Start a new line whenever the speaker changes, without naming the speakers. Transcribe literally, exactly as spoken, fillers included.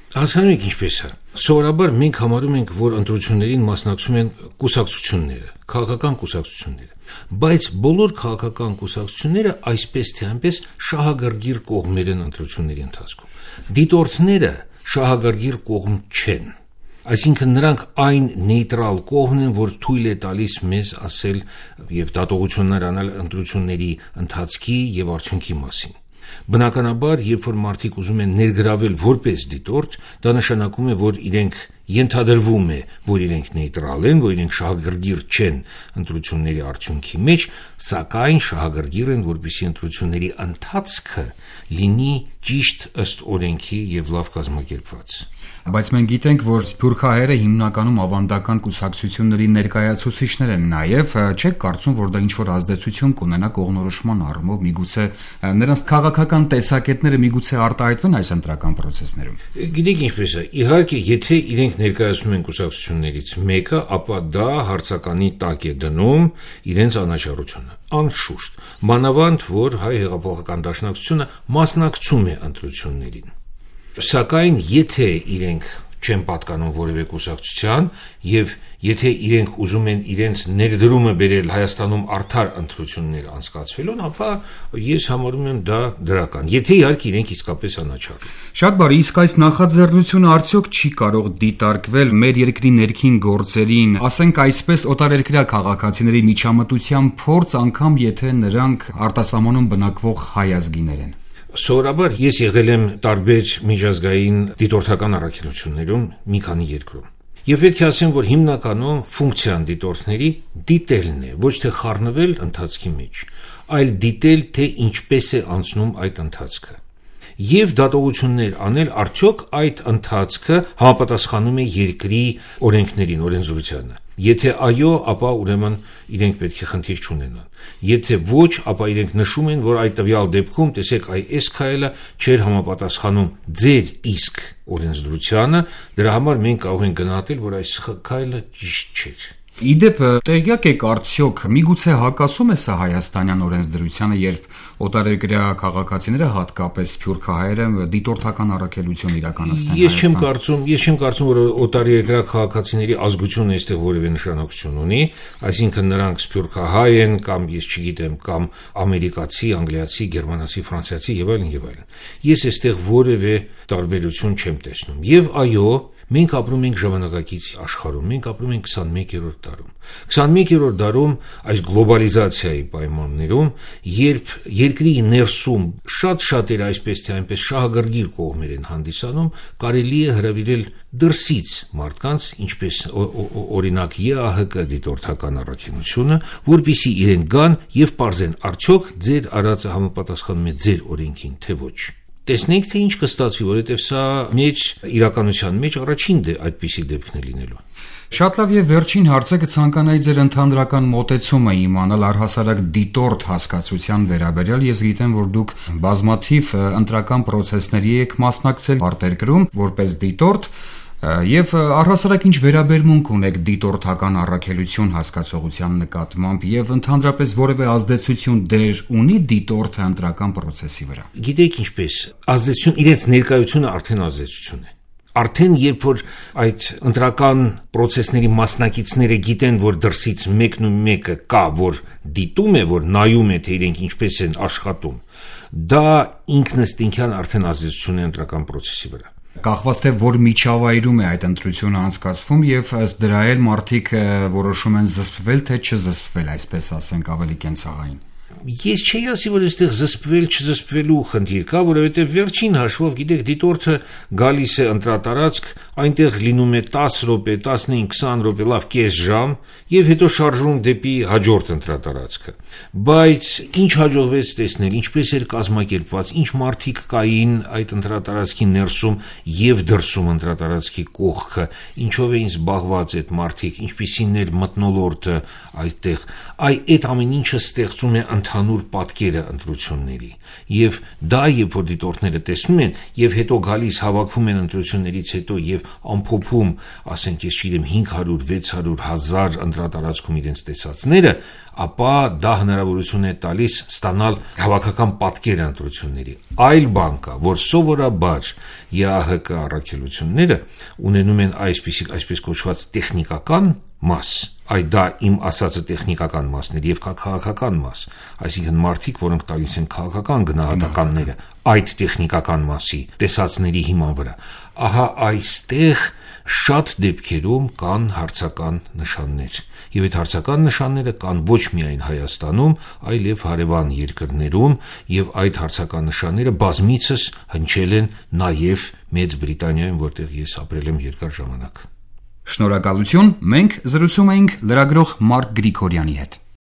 Հասկանում եք ինչպես է։ Սովորաբար մենք համարում ենք, որ ընտրություններին մասնակցում են կուսակցությունները, քաղաքական կուսակցությունները, բայց բոլոր քաղաքական կուսակցությունները այսպես թե այնպես շահագրգիռ կողմեր են ընտրությունների ընթացքում։ Դիտորդները շահագրգիռ կողմ չեն։ Այսինքն նրանք այն նեյտրալ կողմն են, որ թույլ է տալիս մեզ ասել եւ դատողություններ անել ընտրությունների ընթացքի եւ արդյունքի մասին։ Բնականաբար, երբ որ մարդիկ ուզում են ներգրավել որպես դիտորդ, դա նշանակում է, որ իրենք ենթադրվում է, որ իրենք նեյտրալ են, որ իրենք շահագրգիռ չեն ընտրությունների արդյունքի մեջ, սակայն շահագրգիռ են, որպեսզի ընտրությունների ընթացքը լինի ճիշտ ըստ օրենքի եւ լավ կազմակերպված։
Բայց մենք գիտենք, որ սփյուռքահայերը հիմնականում ավանդական կուսակցությունների ներկայացուցիչներ են, նաև չեք կարծում, որ դա ինչ-որ ազդեցություն կունենա կողմնորոշման առումով, միգուցե նրանց քաղաքական տեսակետները միգուցե արտահայտվեն այս ընտրական process-ներում։
Գիտեք ինչպես է, իհարկե, եթե իրենք ներկայացնում են կուսակցություններից մեկը, ապա դա հարցականի տակ է դնում իրենց անաչառությունը, անշուշտ, մանավանդ որ հայ հեղափոխական դաշնակցությունը մասնակցում է ընտրություններին։ Սակայն եթե իրենք չեն պատկանում որևէ կուսակցության եւ եթե իրենք ուզում են իրենց ներդրումը բերել Հայաստանում արդար ընտրություններ անցկացվելուն, ապա ես համարում եմ դա դրական, եթե իհարկե իրենք իսկապես անաչառ են։
Շատ բարի, իսկ այս նախաձեռնությունը արդյոք չի կարող դիտարկվել մեր երկրի ներքին գործերին, ասենք այսպես օտարերկրյա քաղաքացիների միջամտության փորձ, անգամ եթե նրանք արտասահմանում բնակվող հայ ազգիներ են։
Սովորաբար ես եղել եմ տարբեր միջազգային դիտորդական առաքելություններում մի քանի երկրում։ Եվ պետք է ասեմ, որ հիմնականում ֆունկցիան դիտորդների դիտելն է, ոչ թե խառնվել ընթացքի մեջ, այլ դիտել, թե ինչպես է անցնում այդ ընթացքը։ Եվ դատողություններ անել, արդյոք այդ ընթացքը համապատասխանում է երկրի օրենքներին, օրենսդրությանը։ Եթե այո, ապա ուրեմն իրենք պետք է խնդիր չունենան։ Եթե ոչ, ապա իրենք նշում են, որ այդ տվյալ դեպքում, տեսեք, այ այս քայլը չէր համապատասխանում ձեր իսկ օրենսդրությանը, դրա համար մենք կարող ենք գնահատել, որ այս քայլը ճիշտ չէր։
Իդեպ տեղյակ եք արդյոք միգուցե հակասում է սա հայաստանյան օրենսդրությանը, երբ օտարերկրյա քաղաքացիները, հատկապես սփյուռքահայերը, դիտորդական առաքելություն իրականացնեն։
Ես չեմ կարծում, ես չեմ կարծում, որ օտարերկրյա քաղաքացիների ազգությունը այստեղ որևէ նշանակություն ունի, այսինքն նրանք սփյուռքահայ են կամ ես չգիտեմ, կամ ամերիկացի, անգլիացի, գերմանացի, ֆրանսիացի եւ այլն եւ այլն։ Ես այստեղ որևէ տարբերություն չեմ տեսնում։ Եվ այո, մենք ապրում ենք ժամանակակից աշխարհում, մենք ապրում ենք քսանմեկերորդ դարում։ քսանմեկերորդ դարում այս գլոբալիզացիայի պայմաններում, երբ երկրի ներսում շատ շատերը այսպես թե այնպես շահագրգիռ կողմեր են հանդիսանում, կարելի է հրավիրել դրսից մարդկանց, ինչպես օրինակ Է Ա Հ Կ դիտորդական առաքելությունը, որպեսզի իրենք գան եւ պարզեն արդյոք ձեր արածը համապատասխանում է ձեր օրենքին, թե ոչ։ Տեսնենք, թե ինչ կստացվի, որովհետև սա մեջ իրականության մեջ առաջին դե այդպիսի դեպքն է լինելու։
Շատ լավ, եւ վերջին հարցը կցանկանայի ձեր ընդհանրական մոտեցումը իմանալ առհասարակ դիտորդ հասկացության վերաբերյալ։ Ես գիտեմ, որ դուք բազմաթիվ ընտրական process-ների եք մասնակցել արտերկրում որպես դիտորդ, եւ առհասարակ ինչ վերաբերմունք ունեք դիտորդական առաքելություն հասկացողության նկատմամբ եւ ընդհանրապես որևէ ազդեցություն դեր ունի դիտորդը ընտրական process-ի վրա։
Գիտեք ինչպես, ազդեցություն իրենց ներկայությունը արդեն ազդեցություն է։ Արդեն երբ որ այդ ընտրական process-ների մասնակիցները գիտեն, որ դրսից մեկն ու մեկը կա, որ դիտում է, որ նայում է, թե իրենք ինչպես են աշխատում, դա ինքնըստինքյան արդեն ազդեցություն է ընտրական process-ի վրա։
Կախված թե որ միջավայրում է այդ ընտրությունը անցկացվում եւ ըստ դրա էլ մարդիկ որոշում են զսպվել թե չզսպվել, այսպես ասենք, ավելի կենցաղային։
Ես չէի ասի, որ այստեղ զսպվել, չզսպվելու խնդիր կա, որովհետև վերջին հաշվով, գիտեք, դիտորդը գալիս է ընտրատարածք, այնտեղ լինում է տասը րոպե, տասնհինգ, քսան րոպե, լավ կես ժամ, եւ հետո շարժվում դեպի հաջորդ ընտրատարածքը։ Բայց ինչ հաջողվեց տեսնել, ինչպես էր կազմակերպված, ինչ մարդիկ կային այդ ընտրատարածքի ներսում եւ դրսում ընտրատարածքի կողքը, ինչով էին զբաղված այդ մարդիկ, ինչպիսին էր մթնոլորտը այդտեղ, այ այդ ամեն ինչը ստեղծում է ընդհանուր պատկերը ընտրությունների, եւ դա երբ որ դիտորդները տեսնում են եւ հետո գալիս հավաքվում են ընտրություններից հետո եւ ամփոփում, ասենք ես չգիտեմ հինգ հարյուր, վեց հարյուր, հազար ընտրատարածքում իրենց տեսածները, ապա դա հնարավորություն է տալիս ստանալ հավաքական պատկեր ընտրությունների։ Այլ բան կա, որ սովորաբար ԵԱՀԿ առաքելությունները ունենում են այսպիսի այսպես կոչված տեխնիկական մաս, այդ դա իմ ասածը տեխնիկական մասն է եւ քաղաքական մաս, այսինքն մարդիկ, որոնք տալիս են քաղաքական գնահատականները այդ տեխնիկական մասի տեսածների հիման վրա, ահա այստեղ շատ դեպքերում կան հարցական նշաններ եւ այդ հարցական նշանները կան ոչ միայն Հայաստանում, այլև հարևան երկրներում եւ այդ հարցական նշանները բազմիցս հնչել են նաեւ Մեծ Բրիտանիայում, որտեղ ես ապրել եմ երկար ժամանակ։
Շնորհակալություն, մենք զրուցում էինք լրագրող Մարկ Գրիգորյանի հետ։